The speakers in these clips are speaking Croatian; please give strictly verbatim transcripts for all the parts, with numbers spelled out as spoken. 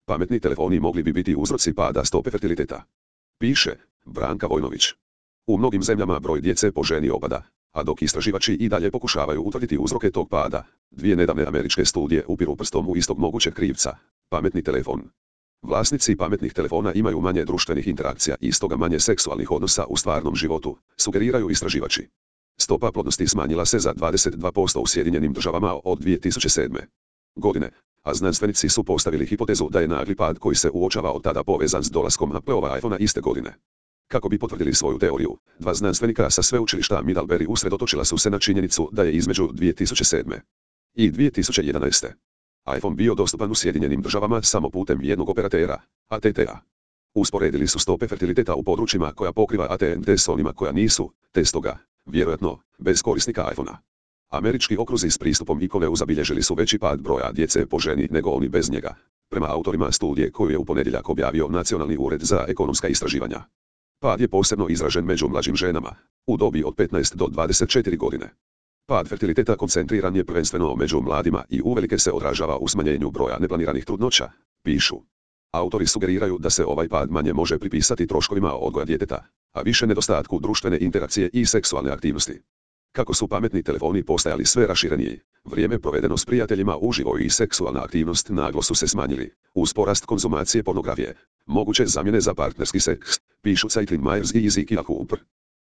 Pametni telefoni mogli bi biti uzroci pada stope fertiliteta. Piše Branka Vojnović. U mnogim zemljama broj djece po ženi opada, a dok istraživači i dalje pokušavaju utvrditi uzroke tog pada, dvije nedavne američke studije upiru prstom u istog mogućeg krivca, pametni telefon. Vlasnici pametnih telefona imaju manje društvenih interakcija i stoga manje seksualnih odnosa u stvarnom životu, sugeriraju istraživači. Stopa plodnosti smanjila se za dvadeset dva posto u Sjedinjenim državama od dvije tisuće sedme. godine, a znanstvenici su postavili hipotezu da je nagli pad koji se uočava od tada povezan s dolaskom Appleova iPhonea iste godine. Kako bi potvrdili svoju teoriju, dva znanstvenika sa sveučilišta Middlebury usredotočila su se na činjenicu da je između dvije tisuće sedme. i dvije tisuće jedanaeste. iPhone bio dostupan u Sjedinjenim državama samo putem jednog operatera, A T T A. Usporedili su stope fertiliteta u područjima koja pokriva A T N T s onima koja nisu, te stoga, vjerojatno, bez korisnika iPhonea. Američki okruzi s pristupom iCloud zabilježili su veći pad broja djece po ženi nego oni bez njega, prema autorima studije koju je u ponedjeljak objavio Nacionalni ured za ekonomska istraživanja. Pad je posebno izražen među mlađim ženama, u dobi od petnaest do dvadeset četiri godine. Pad fertiliteta koncentriran je prvenstveno među mladima i uvelike se odražava u smanjenju broja neplaniranih trudnoća, pišu. Autori sugeriraju da se ovaj pad manje može pripisati troškovima odgoja djeteta, a više nedostatku društvene interakcije i seksualne aktivnosti. Kako su pametni telefoni postajali sve rašireniji, vrijeme provedeno s prijateljima uživo i seksualna aktivnost naglo su se smanjili, uz porast konzumacije pornografije, moguće zamjene za partnerski seks, pišu Caitlin Myers i Ezekiel Cooper.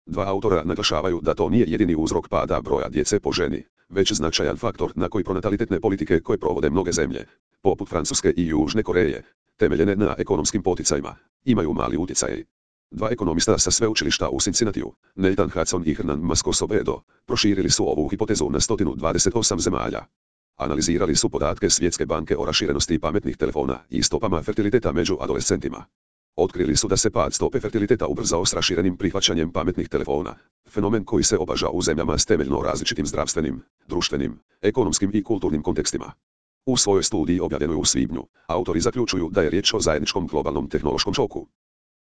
Dva autora naglašavaju da to nije jedini uzrok pada broja djece po ženi, već značajan faktor na koji pronatalitetne politike koje provode mnoge zemlje, poput Francuske i Južne Koreje, temeljene na ekonomskim poticajima, imaju mali utjecaj. Dva ekonomista sa sveučilišta u Cincinnatiju, Nathan Hudson i Hernan Mascosovedo, proširili su ovu hipotezu na sto dvadeset osam zemalja. Analizirali su podatke Svjetske banke o raširenosti pametnih telefona i stopama fertiliteta među adolescentima. Otkrili su da se pad stope fertiliteta ubrzao s raširenim prihvaćanjem pametnih telefona, fenomen koji se opaža u zemljama s temeljno različitim zdravstvenim, društvenim, ekonomskim i kulturnim kontekstima. U svojoj studiji objavljenoj u svibnju, autori zaključuju da je riječ o zajedničkom globalnom tehnološkom šoku.